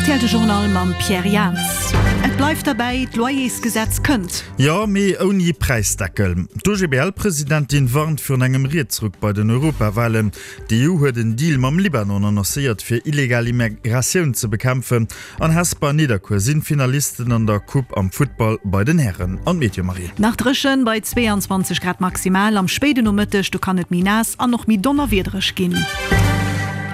Rtl De Journal mam Pierre Jans. Et bleift derbäi, d'Loyersgesetz kënnt. Jo, mee ouni Präisdeckel. D'OGBL-Presidentin warnt virun engem Rietsruck bei den Europawalen. D'EU huet en Deal mam Libanon annoncéiert, fir illegal Immigratioun ze bekämpfen. An Hesper an Nidderkuer sinn Finalisten an der Coupe am Futtball bei den Hären. An d'Meteo, Marie? Nach dréchen bei 22 Grad maximal. Am spéiden Nomëtteg do kann et méi naass an och méi donnerwiedereg ginn.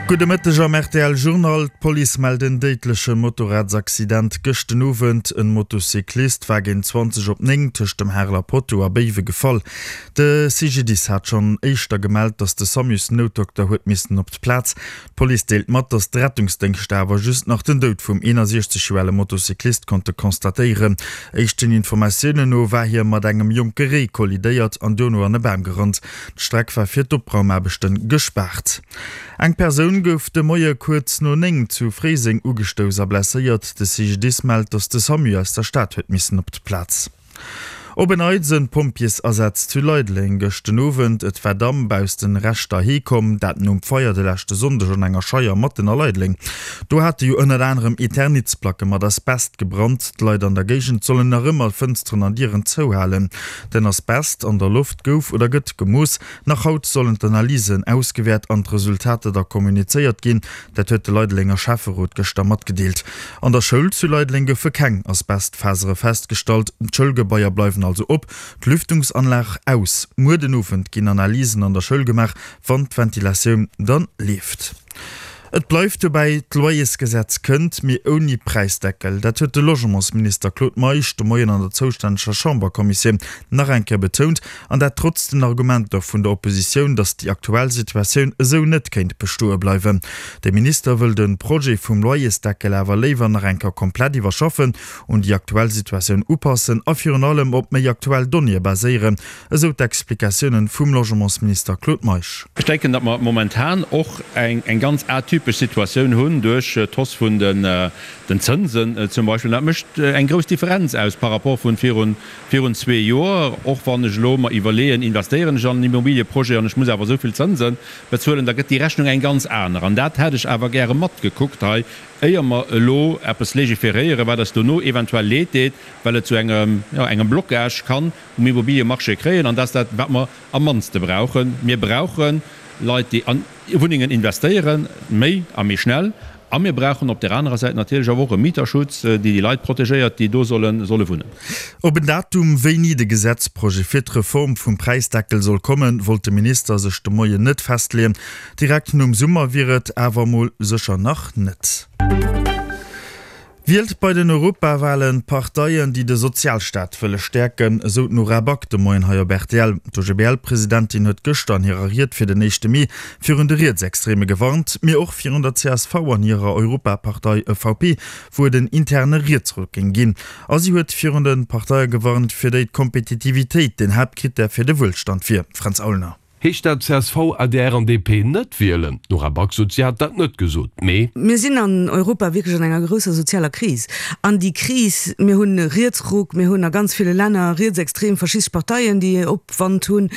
Gudde Mëtteg am rtl Journal. D'Police mellt en déidleche Motorradsaccident gëscht den Owend. En Motocyclist war géint 20 op 9 tëscht dem Hareler Potto a Béiwe gefall. De CGDIS hat schonn éischter gemellt, datt de Samus-Noutdokter huet missen op d'Plaz. D'Police deelt mat, datt d'Rettungsdéngschter awer just nach den Doud vum 61 Joer ale Motocyclist konnte constatéieren. Éischten Informatiounen no war hie mat engem jonke Réi kollidéiert an duerno an e Bam gerannt. D'Streck war fir d'Opraumaarbechte gespaart. Eng Persoun gouf de Moie kuerz no 9 zu Fréiseng ugestouss a blesséiert. De CGDIS mellt, datt de Samu aus der Stad huet missen op d'Plaz. Op en Neits en Pompjeesasaz zu Leideleng gëscht den Owend. Et war Damp aus den Reschter heekomm, dat nom Feier de leschte Sonndeg an enger Scheier matten a Leideleng. Do hate jo ënnert anerem Eternitsplacke mat Asbest gebrannt. D'Leit an der Géigend sollen nach ëmmer Fënsteren an Dieren zouhalen. Den Asbest an der Loft gouf oder gëtt gemooss. Nach haut sollen d'Analysen ausgewäert an d'Resultater da kommunizéiert ginn. Dat huet de Leidelenger Schäfferot gëschter matgedeelt. An der Schoul zu Leideleng goufe keng Asbestfasere festgestallt. D'Schoulgebaier bleiwen also op, d'Lüftungsanlag aus. Muer den Owend ginn Analysen an der Schoul gemaach, wann d'Ventilatioun dann leeft. Et bleift dobäi, d'Loyersgesetz kënnt, mee ouni Präisdeckel. Dat huet de Logementsminister Claude Meisch de Moien an der zoustänneger Chamberkommissioun nach eng Kéier betount. An dat trotz den Argumenter vun der Oppositioun, datt déi aktuell Situatioun esou net kéint bestoe bleiwen. De Minister wëll de Projet vum Loyersdeckel awer léiwer nach eng Kéier komplett iwwerschaffen, un déi aktuell Situatioun upassen a virun allem op méi aktuell Donnéeë baséieren, esou d'Explikatiounen vum Logementsminister Claude Meisch. Ech denken, datt mer momentan och eng ganz atypesch Situatioun hunn duerch d'Hausse vun den Zënsen zum Beispill. Dat mécht eng grouss Differenz aus par rapport vun virun Virun zwee Joer, och wann ech elo mer iwwerleeën, investéieren ech an en Immobilieprojet an ech muss awer esou vill Zënse bezuelen, da gëtt déi Rechnung eng ganz aner. An dat hätt ech awer gäre matgekuckt hei, éier mer elo eppes légiféréieren, wat eis dono eventuell leed deet, well et zu engem, jo, engem Blocage kann um Immobiliemarché kréien. An dat ass dat, wat mer am mannste brauchen. Mir brauche Leit, déi an Wunnengen investéieren, méi a méi schnell. A mir brauchen op där anerer Säit natierlech awer och e Mieterschutz, déi déi Leit protegéiert, déi do solle solle wunnen. Op en Datum, wéini de Gesetzprojet fir d'Reform vum Präisdeckel soll kommen, wollt de Minister sech de Moien net festleeën. Direkt nom Summer wier et awer mol sécher nach net. Wielt bei den Europawalen d'Parteien, déi de Sozialstaat wëlle stäerken, esou d'Nora Back de Moien hei op rtl. D'OGBL-Presidentin huet gëschter an hirer Ried fir den éischte Mee virun de Rietsextreme gewarnt, mee och virun der csv an hirer Europapartei EVP, wou et en interne Rietsruck géing ginn. A si huet virun de Parteie gewarnt, fir déi d'Kompetitivitéit den Haaptkrittär fir de Wuelstand wier. Fränz Aulner. Heescht dat csv, adr an DP net wielen? D'Nora Back sot, si hat dat net gesot, mee. Mir sinn an Europa wierklech an enger grousser sozialer Kris. An déi Kris, mir hunn e Rietsruck, mir hunn a ganz ville Länner rietsextrem, faschistesch Parteien, déi Opwand hunn.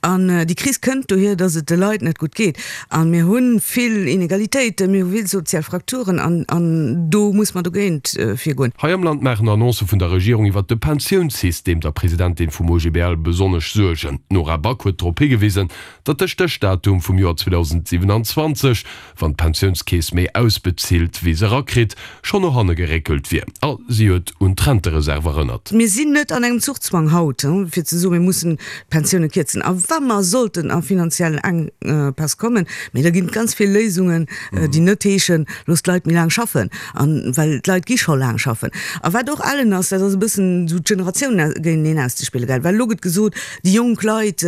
An déi Kris kënnt dohier, datt et de Leit net gutt geet. A mir hu vill Inegalitéiten, mir hu vill sozial Frakturen an an do muss mer dogéint virgoen. Hei am Land maachen Annoncë vun der Regierung iwwert de Pensiounssystem der Presidentin vum OGBL besonnesch Suergen. D'Nora Back huet drop higewisen, datt de Stéchdatum vum Joer 2027, wann d'Pensiounskeess méi ausbezilt wéi se erakritt, schonn no hanne geréckelt wier. A si huet un d'Rentereserv erënnert. Mir sinn net an engem Zuchzwang haut, fir ze soen, mir mussen d'Pensioune kierzen. A wa mer sollten a finanziell Enkpäss kommen, mee da ginn et ganz vill Léisungen, déi net heeschen, loosst d'Leit méi laang schaffen, an well d'Leit gi scho laang schaffen. A wat och ellen ass, dat ass e bëssen esou d'Generatiounen géinteneen auszespillen, gell, well elo gëtt gesot, déi jonk Leit,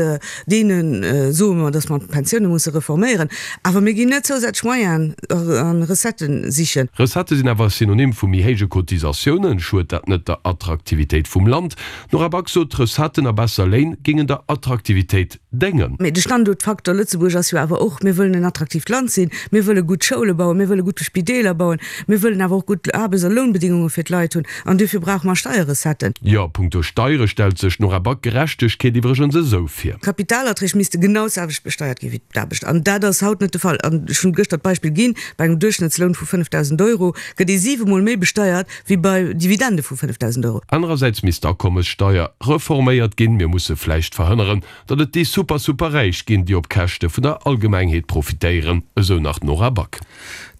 deene soe mer, datt mer d'Pensioune musse reforméieren, awer mir ginn net zousätzlech Moyenen a Recettë sichen. Recettë sinn awer Synonym vu méi héije Cotisatiounen. Schued dat net der Attraktivitéit vum Land? D'Nora Back sot, Recetten a besser Léin géingen der Attraktivitéit déngen. Mee de Standuertfaktor Lëtzebuerg ass jo awer och, mir wëllen en attraktiivt Land sinn, mir wëlle gutt Schoule bauen, mir wëlle gutt Spideeler bauen, mir wëllen awer och gutt Aarbechts a Lounbedingunge fir d'Leit hunn an duerfir brauche mer Steierrecetten. Jo, punkto Steiere stellt sech d'Nora Back Gerechtegkeet iwwregens esou vir. Kapitalerträg misste. genau d'selwecht besteiert gi wéi d'Aarbecht. An dat ass haut net de Fall. An ech hunn gëschter d'Beispill ginn, Bei engem Duerchschnëttsloun vu 5.000 Euro gëtt ee siwemol méi besteiert wéi bei Dividende vu 5.000 Euro. Anerersäits misst d'Akommessteier reforméiert ginn. Mir musse vläicht verhënneren, datt et déi super super Räich ginn, déi op Käschte vun der Allgemengheet profitéieren, esou nach d'Nora Back.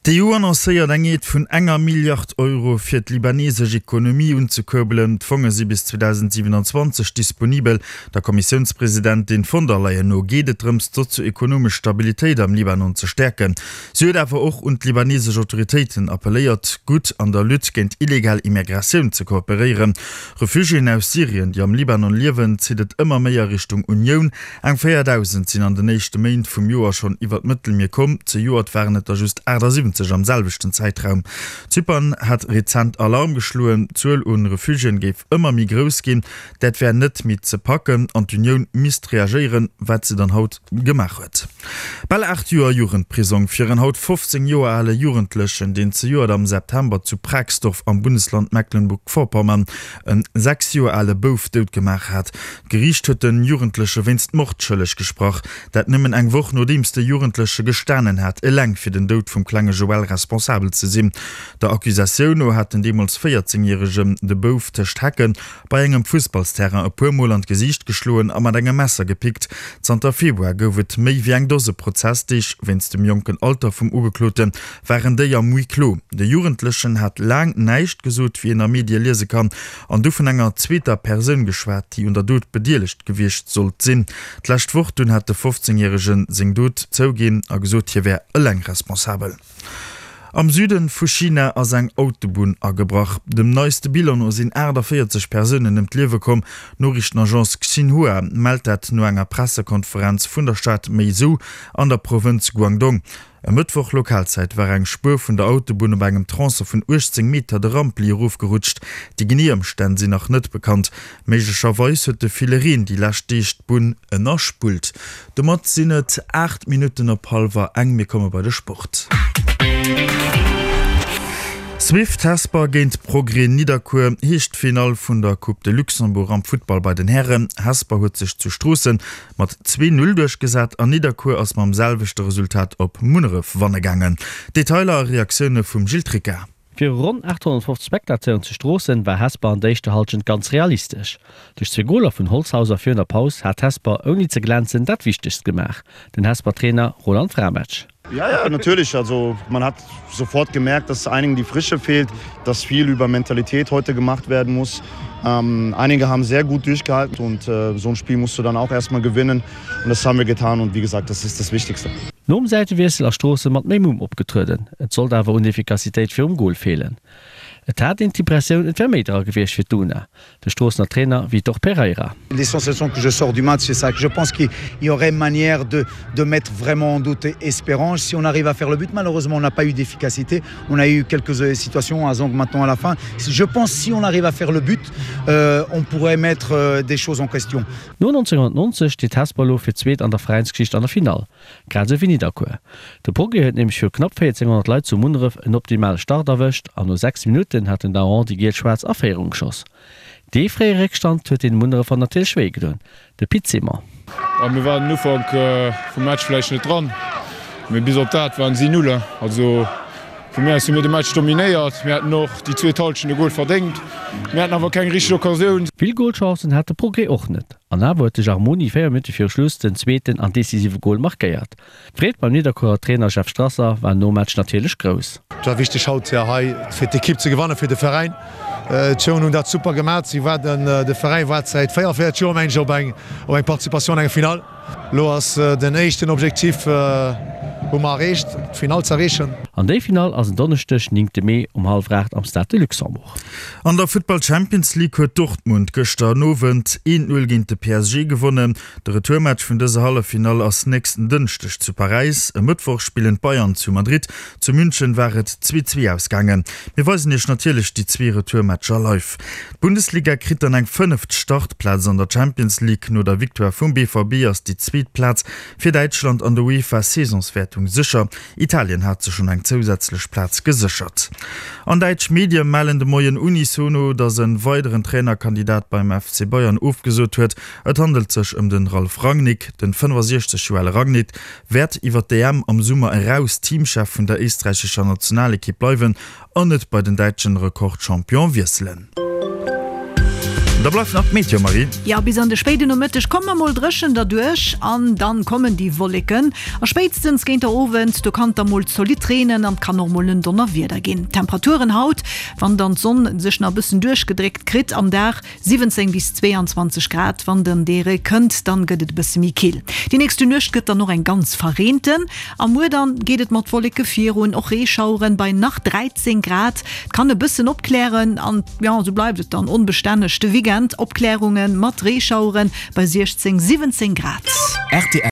D'EU annoncéiert eng Aide vun enger Milliard Euro fir d'libanesesch Ekonomie unzekuerbelen. D'Fonge si bis 2027 disponibel. Der Kommissiounspresidentin von der Leyen no geet et drëms, d'sozio-ekonomesch Stabilitéit am Libanon ze stäerken. Si huet awer och un d'libanesesch Autoritéiten appelléiert, gutt an der Lutte géint illegal Immigratioun ze kooperéieren. Refugiéen aus Syrien, déi am Libanon liewen, zitt et ëmmer méi a Richtung Unioun. Eng 4.000 sinn an den éischte Méint vum Joer schonn iwwer d'Mëttelmier komm, zejoert waren et der just 78 am selwechten Zäitraum. Zypern hat rezent Alarm geschloen, d'Zuel u Refugiéen géif ëmmer méi grouss ginn, dat wär net méi ze packen an d'Unioun misst reagéieren, wat se dann haut gemaach huet. Bal 8 Joer Jugendprisong fir en haut 15 Joer ale Jugendlechen, deen zejoert am September zu Pragsdorf am Bundesland Mecklenburg-Vorpommern en 6 Joer ale Bouf dout gemaach hat. D'Geriicht huet de Jugendleche wéinst Mord schëlleg gesprach. Dat nëmmen eng Woch nodeems de Jugendleche gestanen hat, eleng fir den Doud vum klenge Joël responsabel ze sinn. Der Accusatioun no hat den deemools 14 Järegen de Bouf tëscht Hecken bei engem Fussballsterrain e puer Mol an d'Gesiicht geschloen a mat engem Messer gepickt. Zanter Februar gouf et méi wéi eng Dose Prozessdeeg. Wéinst dem jonken Alter vum Ugeklote waren déi am Huis clos. De Jugendlechen hat laang näischt gesot, wéi een a Medie liese kann, an du vun enger zweeter Persoun geschwat, déi un der Dot bedeelegt gewiescht sollt sinn. D'lescht Woch dunn hat de 15 Järege seng Dot zouginn a gesot, hie wär eleng responsabel. Am Süde vu China ass eng Autobunn agebrach. Dem neiste Bilan no sinn 48 Persounen ëm d'Liewe komm. D'Noriichtenagence Xinhua mellt dat no enger Pressekonferenz vun der Stad Meizhou an der Provënz Guangdong. E Mëttwoch Lokalzäit war eng Spuer vun der Autobunn op engem Tronçon vun 18 Meter de Rampli erofgerutscht. Déi genee Ëmstänn sinn nach net bekannt. Méiglecherweis huet de ville Reen déi lescht Deeg d'Bunn ënnerspullt. Domat sinn et 8 Minutten op hallwer eng. Mir komme bei de Sport. Swift Hesper géint Progrès Nidderkuer heescht d'Finall vun der Coupe de Luxembourg am Futtball bei den Hären. Hesper huet sech zu Stroossen mat 2, 0 duerchgesat an Nidderkuer ass mam selwechte Resultat op Munneref wanne gaangen. Detailer a Reaktioune vum Gilles Tricca. Viru ronn 850 Spectateuren zu Stroossen war Hesper an der éischter Hallschent ganz realistesch. Duerch zwee Goler vun Holzhauser virun der Paus hat Hesper ouni ze glänzen dat Wichtegst gemaach. Den Hesper Trainer Roland Frametsch. Ja, ja, natürlich. Also man hat sofort gemerkt, dass einigen die Frische fehlt, dass viel über Mentalität heute gemacht werden muss. Ähm, einige haben sehr gut durchgehalten und äh, so ein Spiel musst du dann auch erstmal gewinnen und das haben wir getan und wie gesagt, das ist das Wichtigste. Nom Säitewiessel ass Stroossen mat méi Mumm opgetrueden, et sollt awer un Efficacitéit virum Gol feelen. Et hat een d'Impressioun, et wär méi dra gewiescht fir d'Una. De Stroossener Trainer Vitor Pereira. Les sensations que je sors du match, c'est ça que je pense qu'il y aurait manière de, de mettre vraiment en doute Espérange si on arrive à faire le but. Malheureusement, on n'a pas eu d'efficacité. On a eu quelques euh, situations à Zong maintenant à la fin. Je pense si on arrive à faire le but, euh, on pourrait mettre euh, des choses en question. No 1990 steet Hesper elo fir d'zweet an der Veräinsgeschicht an der Finall, grad esou wéi Nidderkuer. De Progrès huet nämlech viru knapp 1400 Leit zu Munneref en optimale Start erwëscht an no 6 Minutten hat den Daron déi giel-schwaarz a Féierung geschoss. Dee fréie Réckstand huet den Munnerefer natierlech wéi gedoen. De Pit Simon. Mir waren den Ufank vum Match vläicht net dran, mee bis op dat waren si Null. Also vu mir aus hu mir de Match dominéiert. Mir hätten och déi zweet Hallschent e Gol verdéngt. Mir haten awer keng richteg Occasioun. Vill Golchancen hat de Progrès och net an awer huet de Jarmoni 4 Minutte viru Schluss den zweeten an decisive Gol markéiert. D'Freed beim Nidderkuerer Trainer Jeff Strasser war nom Match natierlech grouss. Et war wichteg haut hei fir d'Ekipp ze gewannen, fir de Veräin. D'Jongen hunn dat super gemat. Si waarden, de Veräin waart säit 44 Joer meng ech op eng op eng Participatioun an enger Finall. Elo ass den éischten Objektif hu mer erreecht, d'Finall ze erreechen. An déi Finall ass en Donneschdeg, 9 Mee um hallwer 8 am Stade de Luxembourg. An der Futtball Champions League huet Dortmund gëschter den Owend 1, 0 géint de PSG gewonnen. De Retourmatch vun dëser Halleffinall ass nächsten Dënschdeg zu Paräis. E Mëttwoch spillen d'Bayern zu Madrid. Zu München war et 2, 2 ausgaangen. Mir weisen iech natierlech déi zwee Retourmatcher live. D'Bundesliga kritt dann eng fënneft Startplaz an der Champions League. No der Victoire vum BVB ass déi zweet Plaz fir Däitschland an der UEFA-Saisonswäertung. Qualifikatioun sécher. Italien hat sech schonn eng zousätzlech Plaz geséchert. An däitsch Medie mellen de Moien unisono, datt e weideren Trainerkandidat beim FC Bayern ofgesot huet. Et handelt sech ëm de Ralf Rangnick. Den 65 Joer ale Rangnick wäert iwwer d'EM am Summer eraus Teamchef vun der éisträichescher Nationalekipp bleiwen an net bei den däitschen Rekordchampion wiesselen. Da bleift nach d'Meteo, Marie. Jo, bis an de spéiden Nomëtteg komme mer mol dréchen derduerch an dann kommen déi Wolleken a spéitstens géint der Owend, do kann et da mol zolidd reenen an et kann och mol en Donnerwieder ginn. D'Temperaturen haut, wann dann d'Sonn sech nach e bëssen duerchgedréckt kritt am Dag, 17 bis 22 Grad, wann den dee Ree kënnt, dann gëtt et e bësse méi kill. Déi nächste Nuecht gëtt dann och eng ganz verreenten a muer dann geet et mat Wolleke virun, och Reeschaueren bei nach 13 Grad. Et kann e bëssen opklären an jo, esou bleift et dann onbestänneg de Weekend, Opklärunge mat Reeschaueren bei 16, 17 Grad. Rtl.